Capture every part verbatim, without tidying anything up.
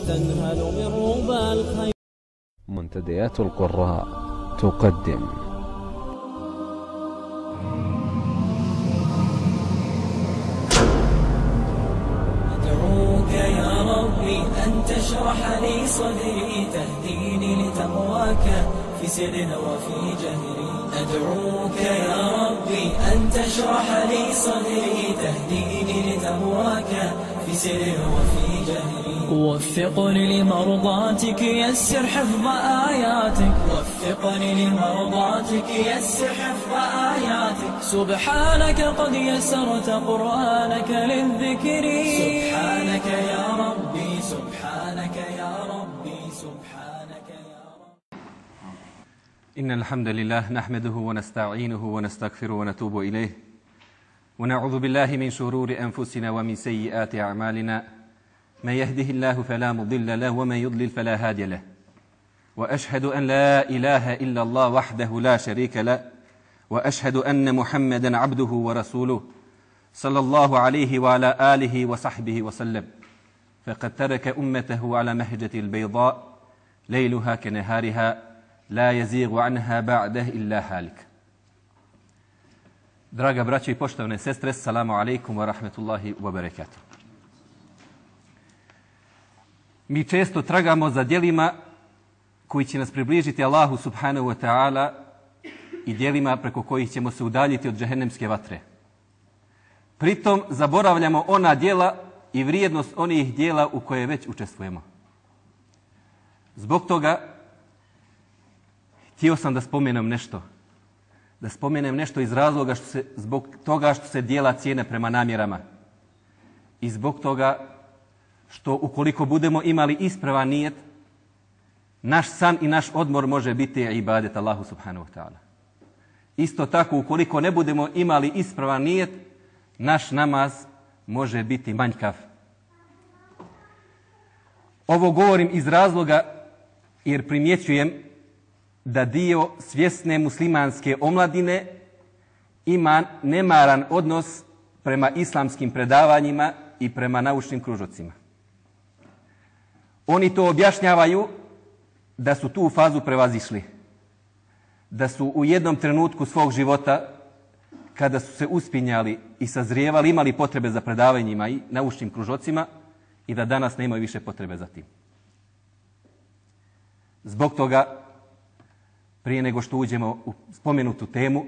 وتنهل من ربى الخير. منتديات القراء تقدم أدعوك يا ربي أن تشرح لي صدري تهديني لتقواك في سر وفي جهري. أدعوك يا ربي أن تشرح لي صدري تهديني لتقواك في سر وفي جهري. وفقني لمرضاتك يسر حفظ آياتك وفقني لمرضاتك يسر حفظ آياتك. سبحانك قد يسرت قرآنك للذكر. سبحانك يا ربي سبحانك يا ربي سبحانك يا ربي. إن الحمد لله نحمده ونستعينه ونستغفره ونتوب إليه ونعوذ بالله من شرور أنفسنا ومن سيئات أعمالنا. من يهده الله فلا مضل له ومن يضلل فلا هادي له. وأشهد أن لا إله إلا الله وحده لا شريك له وأشهد أن محمدا عبده ورسوله صلى الله عليه وعلى آله وصحبه وسلم. فقد ترك أمته على مهجة البيضاء ليلها كنهارها لا يزيغ عنها بعده إلا هالك. Draga braćo i poštovane sestre, assalamu alaikum wa rahmetullahi wa barakatuh. Mi često tragamo za djelima koji će nas približiti Allahu subhanahu wa ta'ala i djelima preko kojih ćemo se udaljiti od džehennemske vatre. Pritom zaboravljamo ona djela i vrijednost onih djela u koje već učestvujemo. Zbog toga htio sam da spomenem nešto. Da spomenem nešto iz razloga što se, zbog toga što se djela cijene prema namjerama. I zbog toga što ukoliko budemo imali ispravan nijet, naš san i naš odmor može biti ibadet Allahu subhanahu wa ta'ala. Isto tako, ukoliko ne budemo imali ispravan nijet, naš namaz može biti manjkav. Ovo govorim iz razloga jer primjećujem da dio svjesne muslimanske omladine ima nemaran odnos prema islamskim predavanjima i prema naučnim kružocima. Oni to objašnjavaju da su tu fazu prevazišli. Da su u jednom trenutku svog života, kada su se uspinjali i sazrijevali, imali potrebe za predavanjima i naučnim kružocima i da danas nemaju više potrebe za tim. Zbog toga, prije nego što uđemo u spomenutu temu,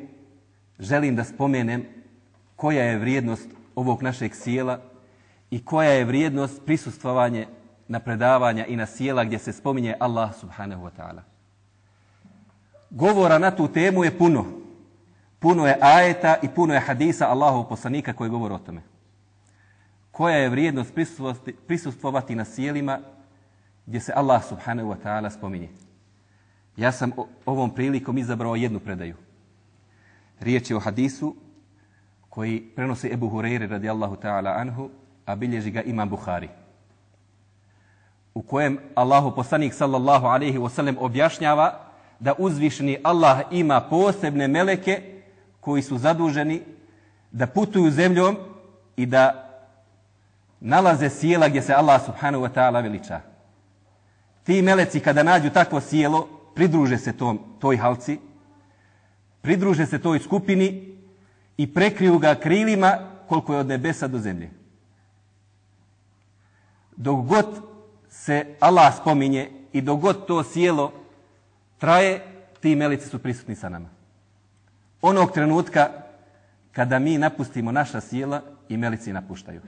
želim da spomenem koja je vrijednost ovog našeg sjela i koja je vrijednost prisustvovanja na predavanja i na sjela gdje se spominje Allah subhanahu wa ta'ala. Govora na tu temu je puno. Puno je ajeta i puno je hadisa Allahovog poslanika koji govore o tome. Koja je vrijednost prisustvovati na sjelima gdje se Allah subhanahu wa ta'ala spominje. Ja sam ovom prilikom izabrao jednu predaju. Riječ je o hadisu koji prenosi Ebu Hureyre radijallahu ta'ala anhu, a bilježi ga Imam Buhari, u kojem Allahu poslanik sallallahu alejhi ve sellem objašnjava da uzvišeni Allah ima posebne meleke koji su zaduženi da putuju zemljom i da nalaze sjela gdje se Allah subhanahu wa ta'ala veliča. Ti meleci kada nađu takvo sjelo, pridruže se tom, toj halci, pridruže se toj skupini i prekriju ga krilima koliko je od nebesa do zemlje. Dok god se Allah spominje i dok god to sjelo traje, ti meleci su prisutni sa nama. Onog trenutka kada mi napustimo naša sjela i meleci napuštaju.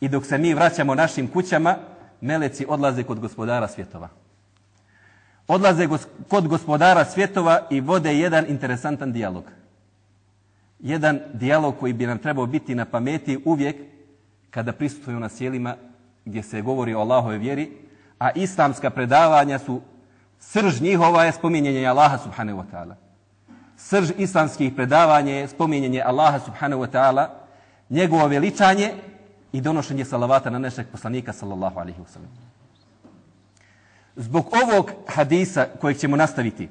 I dok se mi vraćamo našim kućama, meleci odlaze kod gospodara svjetova. Odlaze kod gospodara svjetova i vode jedan interesantan dijalog. Jedan dijalog koji bi nam trebao biti na pameti uvijek kada prisustvuju na sjelima gdje se govori o Allahove vjeri, a islamska predavanja su, srž njihova je spominjenje Allaha subhanahu wa ta'ala. Srž islamskih predavanja je spominjenje Allaha subhanahu wa ta'ala, njegovo veličanje i donošenje salavata na našeg poslanika sallallahu alaihi wa sallam. Zbog ovog hadisa kojeg ćemo nastaviti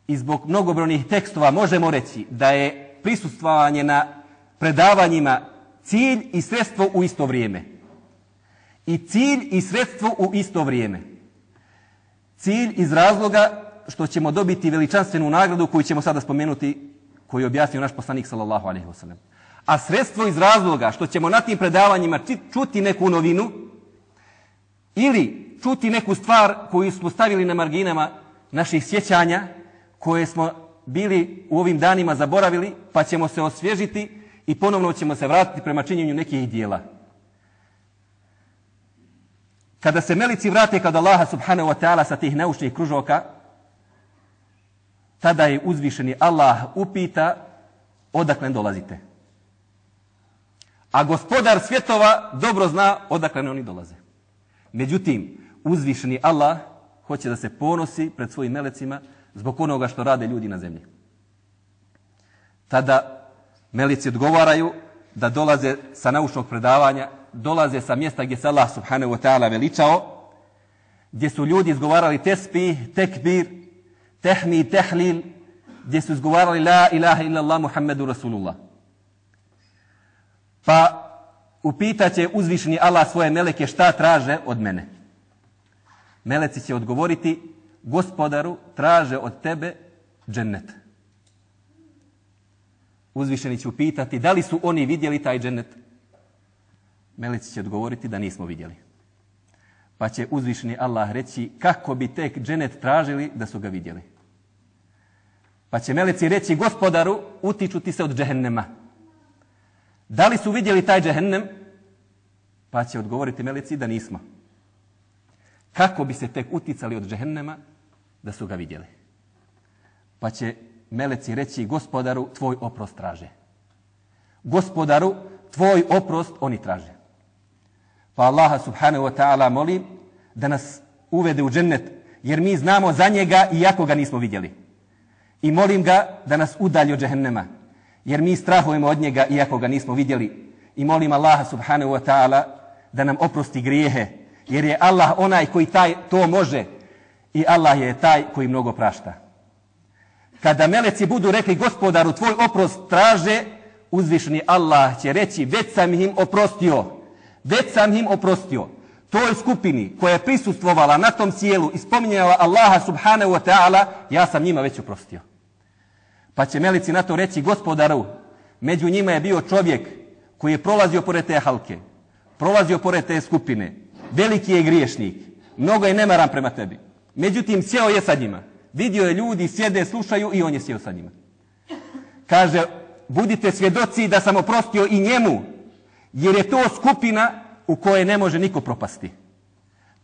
i zbog mnogobrojnih tekstova možemo reći da je prisustvovanje na predavanjima cilj i sredstvo u isto vrijeme. I cilj i sredstvo u isto vrijeme. Cilj iz razloga što ćemo dobiti veličanstvenu nagradu koju ćemo sada spomenuti, koju je objasnio naš poslanik sallallahu alejhi ve sellem. A sredstvo iz razloga što ćemo na tim predavanjima čuti neku novinu ili čuti neku stvar koju smo stavili na marginama naših sjećanja, koje smo bili u ovim danima zaboravili, pa ćemo se osvježiti i ponovno ćemo se vratiti prema činjenju nekih dijela. Kada se meleci vrate kod Allaha subhanahu wa ta'ala sa tih naučnih kružoka, tada je uzvišeni Allah upita odakle dolazite. A gospodar svjetova dobro zna odakle oni dolaze. Međutim, uzvišeni Allah hoće da se ponosi pred svojim melecima zbog onoga što rade ljudi na zemlji. Tada meleci odgovaraju da dolaze sa naučnog predavanja, dolaze sa mjesta gdje se Allah subhanahu wa ta'ala veličao, gdje su ljudi izgovarali tesbih, tekbir, tehmid, tehlil, gdje su izgovarali la ilaha illallah Muhammedu Rasulullah. Pa upitaće uzvišeni Allah svoje meleke šta traže od mene. Meleci će odgovoriti, gospodaru, traže od tebe džennet. Uzvišeni će upitati da li su oni vidjeli taj džennet. Meleci će odgovoriti da nismo vidjeli. Pa će uzvišeni Allah reći kako bi tek džennet tražili da su ga vidjeli. Pa će meleci reći gospodaru, utiču ti se od džehennema. Da li su vidjeli taj džehennem? Pa će odgovoriti meleci da nismo. Kako bi se tek uticali od džehennema da su ga vidjeli? Pa će meleci reći gospodaru, tvoj oprost traže. Gospodaru, tvoj oprost oni traže. Pa Allaha subhanahu wa ta'ala molim da nas uvede u džennet, jer mi znamo za njega iako ga nismo vidjeli. I molim ga da nas udalji od džehennema, jer mi strahujemo od njega iako ga nismo vidjeli. I molim Allaha subhanahu wa ta'ala da nam oprosti grijehe, jer je Allah onaj koji taj to može i Allah je taj koji mnogo prašta. Kada meleci budu rekli gospodaru tvoj oprost traže, uzvišeni Allah će reći već sam im oprostio, već sam im oprostio. Toj skupini koja je prisustvovala na tom sjelu i spominjala Allaha subhanahu wa ta'ala, ja sam njima već oprostio. Pa će meleci na to reći gospodaru, među njima je bio čovjek koji je prolazio pored te halke, prolazio pored te skupine, veliki je griješnik, mnogo je nemaran prema tebi. Međutim, sjeo je sa njima. Vidio je ljudi, sjede, slušaju i on je sjeo sa njima. Kaže, budite svjedoci da sam oprostio i njemu, jer je to skupina u kojoj ne može niko propasti.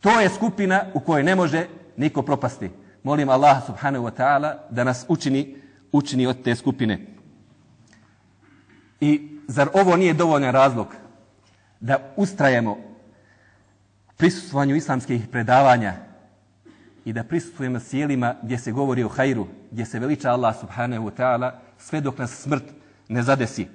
To je skupina u kojoj ne može niko propasti. Molim Allah subhanahu wa ta'ala da nas učini, učini od te skupine. I zar ovo nije dovoljan razlog da ustrajemo prisustvovanju islamskih predavanja i da prisustvujemo sjelima gdje se govori o hajru, gdje se veliča Allah subhanahu wa ta'ala, sve dok nas smrt ne zadesi.